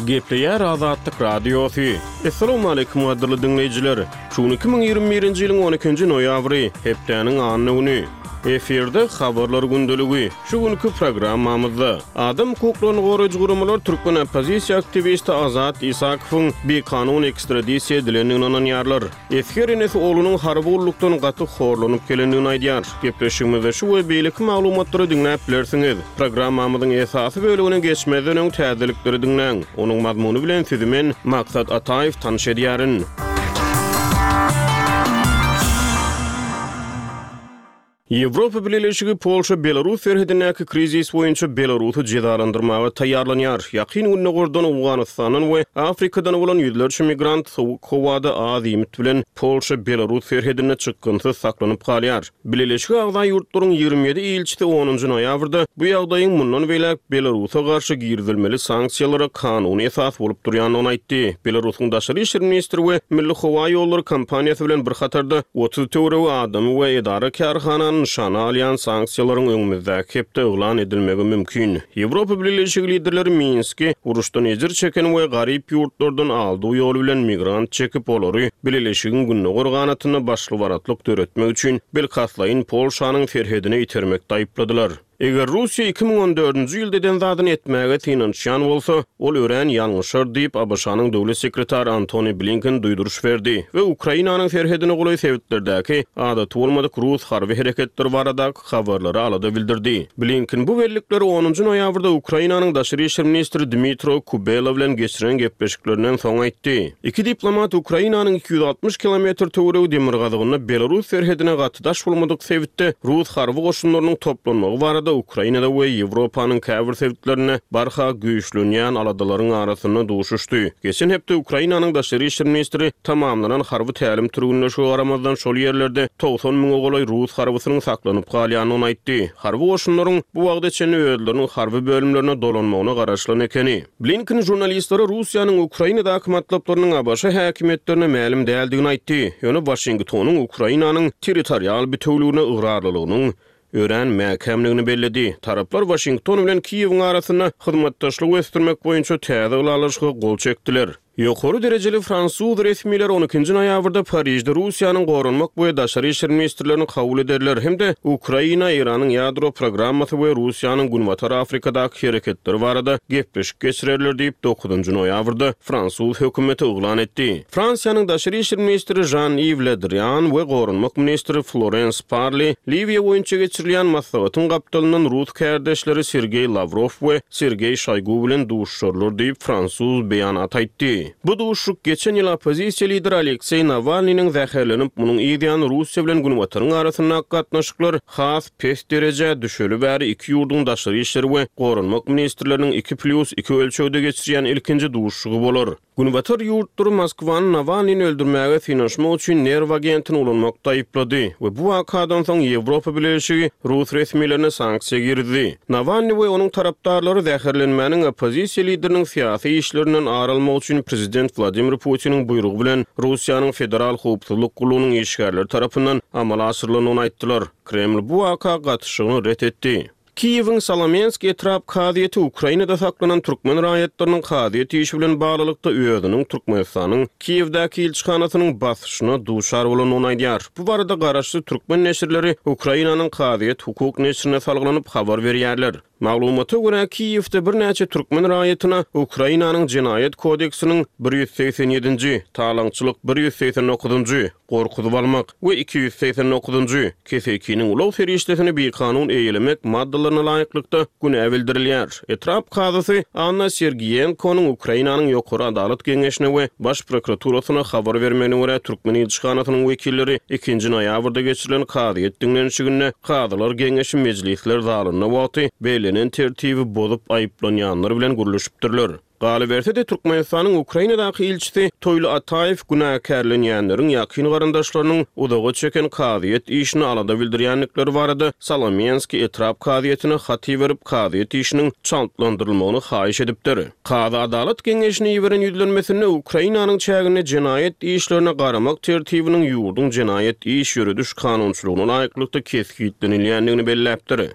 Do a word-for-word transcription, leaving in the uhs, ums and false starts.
Gepleýär Azatlyk Radiosy. Assalamualaikum gadyrly diňleýjiler. Şu gün iki müň ýigrimi birinji ýylyň on ikinji noýabry, hepdäniň anna güni. Efirde habarlar gündeligi. Şu günki programmamyzda adam hukuklaryny goraýjy guramalar türkmen oppozisiýa aktiwisti Azat Isakowyň bikanun ekstradisiýa edilendigine ynanýarlar. Esger enesi oglunyň harby gullukdan gaty horlanyp gelendigini aýdýar. Gepleşigimizde şu we beýleki maglumatlary diňläp bilersiňiz. Programmamyzyň esasy bölümine geçmezden öň täzelikleri diňläň. Onuň mazmuny bilen sizi men Maksat Ataýew tanyş edýärin. Ýewropa Bileleşigi Polşa-Belarus serhedindäki krizis boýunça Belarusy jezalandyrmaga taýýarlanýar. Ýakyn Gündogardan, Owganystandan we Afrikadan bolan ýüzlerçe migrant sowuk howada az iýmit bilen Polşa-Belarus serhedinde çykgynsyz saklanyp galýar. Bileleşige agza ýurtlaryň ýigrimi ýedi ilçisi onunjy noýabrda bu ýagdaýyň mundan beýläk Belarusa garşy girizilmeli sanksiýalara kanuny esas bolup durýandygyny aýtdy. Belarusyň daşary işler ministri we Milli howa ýollary kompaniýasy bilen bir hatarda otuz töweregi adamy we edara kärhanany nyşana alýan sanksiýalaryň öňümizdäki hepde yglan edilmegi mümkin. Ýewropa Bileleşigi liderleri Minski uruşdan ejir çeken we garyp ýurtlardan aldyw ýoly bilen migrant çekip olary Bileleşigiň gündogar ganatynda başlybaratlyk döretmek üçin bilkastlaýyn Polşanyň serhedine itermekde aýypladylar. Eger Russiýa iki müň on dördünji ýylda eden zadyny etmäge synanyşýan bolsa, ol örän ýalňyşar diýip, A B Ş-nyň döwlet sekretary Antony Blinken duýduryş berdi we Ukrainanyň serhedine golaý sebitlerdäki adaty bolmadyk rus harby hereketleri baradaky habarlara alada bildirdi. Blinken bu bellikleri onunjy noýabrda Ukrainanyň daşary işler ministri Dmitro Kubela bilen geçiren gepleşiklerinden soň aýtdy. Iki diplomat Ukrainanyň iki ýüz altmyş kilometr töweregi demirgazygynda Belarus serhedine gaty daş bolmadyk sebitde rus harby goşunlarynyň toplanmagy barada Ukrainada we Ýewropanyň käbir sebitlerinde barha güýçlenýän aladalaryň arasynda duşuşdy. Geçen hepde Ukrainanyň daşary işler ministri tamamlanan harby tälim türgünleşige garamazdan şol ýerlerde togsan müňe golaý rus harbysynyň saklanyp galýandygyny aýtdy. Harby goşunlaryň bu wagta çenli özleriniň harby bölümlerine dolanmagyna garaşylan ekeni. Blinken žurnalistlere Russiýanyň Ukrainadaky matlaplarynyň A B Ş häkimiýetlerine mälim däldigini aýtdy. Ýöne Waşingtonyň Ukrainanyň territorial bütewligine ygrarlylygynyň örän mäkämligini belledi. Taraplar Waşington bilen Kiýewiň arasynda hyzmatdaşlygy ösdürmek boýunça täze ylalaşyga gol çekdiler. Ýokary derejeli fransuz resmileri on ikinji noýabrda Parižde Russiýanyň goranmak we daşary işler ministrlerini kabul ederler hem-de Ukraina, Eýranyň ýadro programmasy we Russiýanyň Günbatar Afrikadaky hereketleri barada gepleşik geçirerler diýip dokuzynjy noýabrda fransuz hökümeti yglan etdi. Fransiýanyň daşary işler ministri Jean-Yves Le Drian we goranmak ministri Florence Parly Liwiýa boýunça geçirilýän maslahatyň gapdalyndan rus kärdeşleri Sergey Lavrov we Sergey Şoýgu bilen duşuşarlar diýip fransuz beýanat aýtdy. Bu duşuşyk geçen ýyl oppozisiýa lideri Aleksey Nawalnynyň zäherlenip, munuň ýany Russiýa bilen Günbataryň arasyndaky gatnaşyklar has pes derejä düşeli bäri iki ýurduň daşary işleri we goranmak ministrleriniň iki plus iki ölçegde geçirýän ilkinji duşuşygy bolar. Günbatar ýurtlary Moskwany Nawalnyny öldürmäge synanyşmak üçin nerw agentini ulanmakda aýyplady we bu wakadan soň Ýewropa Bileleşigi rus resmilerine sanksiýa girdi. Nawalny we onuň tarapdarlary zäherlenmäniň oppozisiýa lideriniň syýasy işlerinden ar almak üçin prezident Wladimir Putiniň buýrugy bilen Russiýanyň Federal Howpsuzlyk gullugynyň işgärleri tarapyndan amala aşyrylandygyny aýtdylar. Kreml bu waka gatyşygyny ret etdi. Kiýewiň Solomensk etrap kazyýeti Ukrainada saklanan türkmen raýatlarynyň kazyýet işi bilen baglylykda özüniň Türkmenistanyň Kiýewdäki ilçihanasynyň basyşyna duşar bolandygyny aýdýar. Bu barada garaşsyz türkmen neşirleri Ukrainanyň kazyýet hukuk neşirine salgylanyp habar berýärler. Maglumata görä Kiýewde birnäçe türkmen raýatyna Ukrainanyň jenaýat kodeksiniň bir ýüz segsen ýedinji, talaňçylyk bir ýüz segsen dokuzynjy, gorkuzyp almak we iki ýüz segsen dokuzynjy, kesekiniň ulag serişdesini bikanun eýelemek maddalaryna laýyklykda günä bildirilýär. Etrap kazysy Anna Sergiýenkonyň Ukrainanyň Ýokary Adalat Geňeşine we Baş prokuraturasyna habar bermegine görä türkmen ilçihanasynyň wekilleri ikinji noýabrda geçirilen kazyýet diňlenişiginde Kazylar Geňeşi mejlisler zalynda wagty bellenen tertibi bozup aýyplanýanlar bilen gürleşipdirler. Galyberse-de Türkmenistanyň Ukrainadaky ilçisi Toýly Ataýew günäkärlenýänleriň ýakyn garyndaşlarynyň uzaga çeken kazyýet işini alada bildirýändikleri barada Solomenski etrap kazyýetine hat iberip kazyýet işiniň çaltlandyrylmagyny haýyş edipdir. Kazy Adalat Geňeşine iberen ýüzlenmesinde Ukrainanyň çäginde jenaýat işlerine garamak tertibiniň ýurduň jenaýat iş ýörediş kanunçylygyna laýyklykda kesgitlenilýändigini belläpdir.